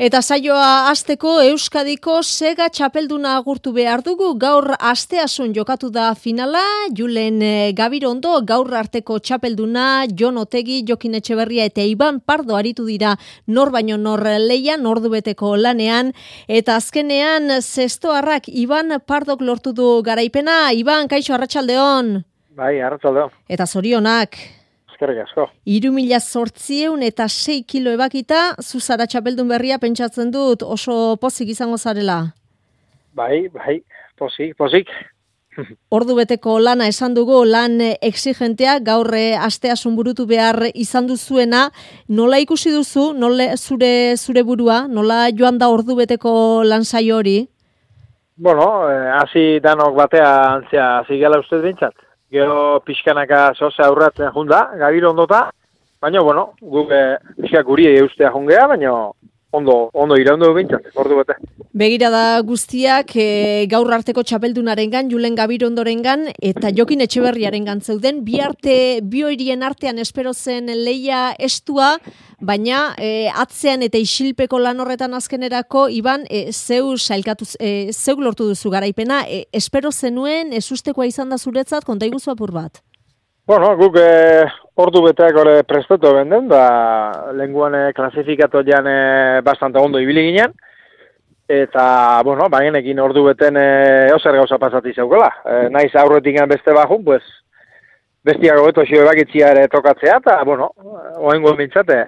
Eta saioa hasteko Euskadiko sega txapelduna agurtu behar dugu. Gaur asteasun jokatu da finala, Julen Gabirondo gaur arteko txapelduna, Jon Otegi, Jokin Etxeberria eta Iban Pardo aritu dira nor baino nor leian, ordubeteko lanean. Eta azkenean zestoarrak Iban Pardok lortu du garaipena. Iban, kaixo, arratsaldeon. Bai, arratsaldeon. Eta zorionak. Eskerrik asko. 3.806 kilo ebakita, zuzara txapeldun berria pentsatzen dut oso pozik izango zarela. Bai, pozik. Ordu beteko lana esan dugu, lan exigentea, gaur asteasun burutu behar izan duzuena. Nola ikusi duzu, nola zure burua, nola joan da ordu beteko lan saio hori? Bueno, hasi danok batea antzia hasi gela ustez bintzat. Gero pixkanaka zoze aurratzen junda, Gabiro ondota, baina, bueno, guk pixka guri eustea jungea, baina ondo iraundu bintzat, ordu bete. Begira da guztiak gaur arteko txapeldunarengan, Julen Gabirondorengan eta Jokin Etxeberriarengan zeuden, bi horien artean espero zen leia estua, baina atzean eta isilpeko lan horretan azkenerako, Iban, zeu lortu duzu garaipena, espero zenuen, ezustekoa izan da zuretzat, konta iguzu apur bat? Bueno, guk ordu beteak hori prestatu benden, lenguan klasifikatu jan bastante ondo ibili ginen, eta, bueno, bagenekin ordu beten ozer gauza pasati zeukela. Naiz aurretik beste bajun, pues, bestiago beto xio ebakitzia ere tokatzea, eta, bueno, oaingo bintzate,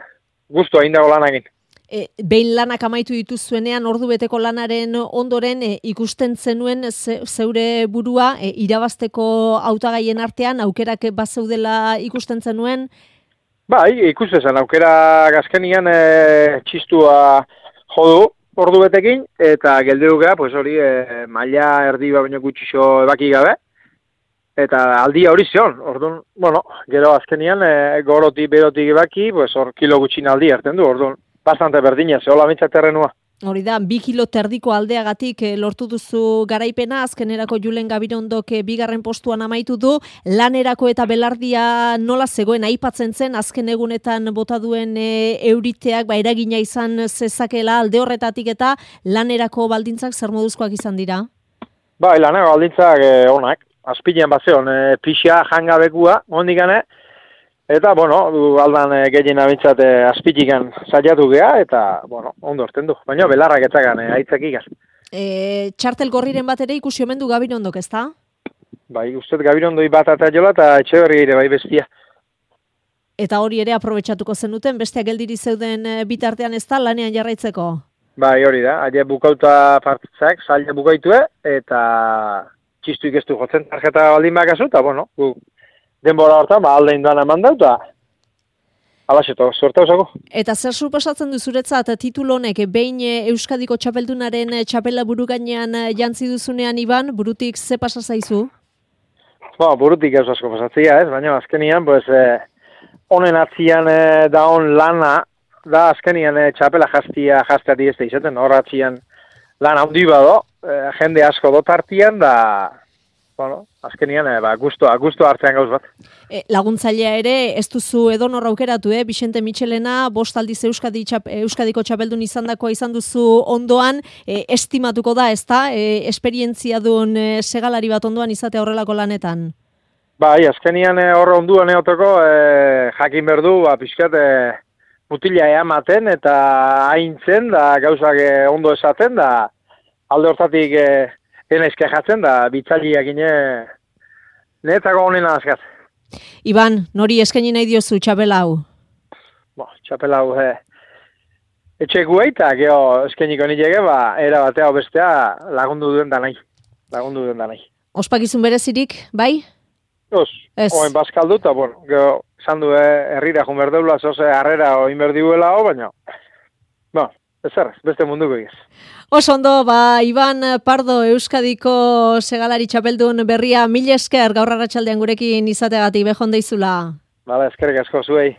guztu hain dago lanagin. Behin lanak amaitu dituzuenean, ordu beteko lanaren ondoren ikusten zenuen zeure burua irabazteko hautagaien artean, aukerak bazeudela ikusten zenuen? Bai, ikusten zen, aukera gazkenian txistua jodu ordu betekin, eta geldeukea, pues hori, maila erdi baino gutxixo ebaki gabe, eta aldia hori zion, orduan, bueno, gero azkenian gorotik berotik ebaki, pues hor kilo gutxin aldi hartzen du, orduan, bastante berdina, zehola mintzaterrenua. Hori da, 2 kilo terdiko aldeagatik lortu duzu garaipena, azkenerako Julen Gabirondok bigarren postuan amaitu du, lanerako eta belardia nola zegoen aipatzen zen, azken egunetan bota duen euriteak, eragina izan zezakela alde horretatik eta lanerako baldintzak zer moduzkoak izan dira? Bai, lanerako baldintzak onak, azpilean bazeon, pixia jangabekua, ondikane, eta, bueno, aldan gehien abintzat azpitikan saiatu geha, eta, bueno, ondo orten du. Baina belarrak etzagan, aitzak ikan. Txartel gorriren bat ere ikusi omen du Gabirondok, ezta? Bai, ustez Gabirondoi bat eta jola, eta Etxeberri ere bai bestia. Eta hori ere aprobetxatuko zenuten, besteak geldiri zeuden bitartean ezta lanean jarraitzeko? Bai, hori da, aile bukauta partitzak, zaila bukaitue, eta txistu ikestu jotzen tarjeta baldin bakazu, eta, bueno, denbora hortan, aldein doan eman dut, eta alaxeto, suerta usako. Eta zer suposatzen du zuretzat titulu honek behin Euskadiko txapeldunaren txapela buru gainean jantzi duzunean, Iban, burutik ze pasa zaizu? Burutik ez asko pasatzea, ez, baina azkenian, pues, honen atzian daon lana, da azkenian txapela jazteati ez da izaten, hor atzian lan handi bado, jende asko dotartian, da, bueno, azkenian, gusto hartzean gauz bat. Laguntzailea ere, ez duzu edonor aukeratu, Vicente Michelena, 5 aldiz Euskadiko txapeldun izandakoa izan duzu ondoan, estimatuko da, ezta? Esperientzia duen segalari bat ondoan izatea horrelako lanetan? Bai, azkenian horre onduan eoteko, jakin berdu, pixkat, mutila ematen, eta haintzen, da gauzak ondo esaten, da alde hortatik enaizke jatzen, da bitzaliak ine netzako honena azkat. Iban, nori eskaini nahi diozu txapela hau? Txapela hau etxekuei, eta geho eskainiko nilege, era batea bestea lagundu duen da nahi. Ospakizun berezirik, bai? Oen bazkaldu, eta bueno, geho esan du herrira jun berdeula, zoze harrera oin berdiuela baina, ezerrez, beste munduko egez. Oso ondo, Iban Pardo Euskadiko segalari txapeldun berria, mila esker gaur arratsaldean gurekin izateagatik behon deizula. Bala, eskerrik asko zuei.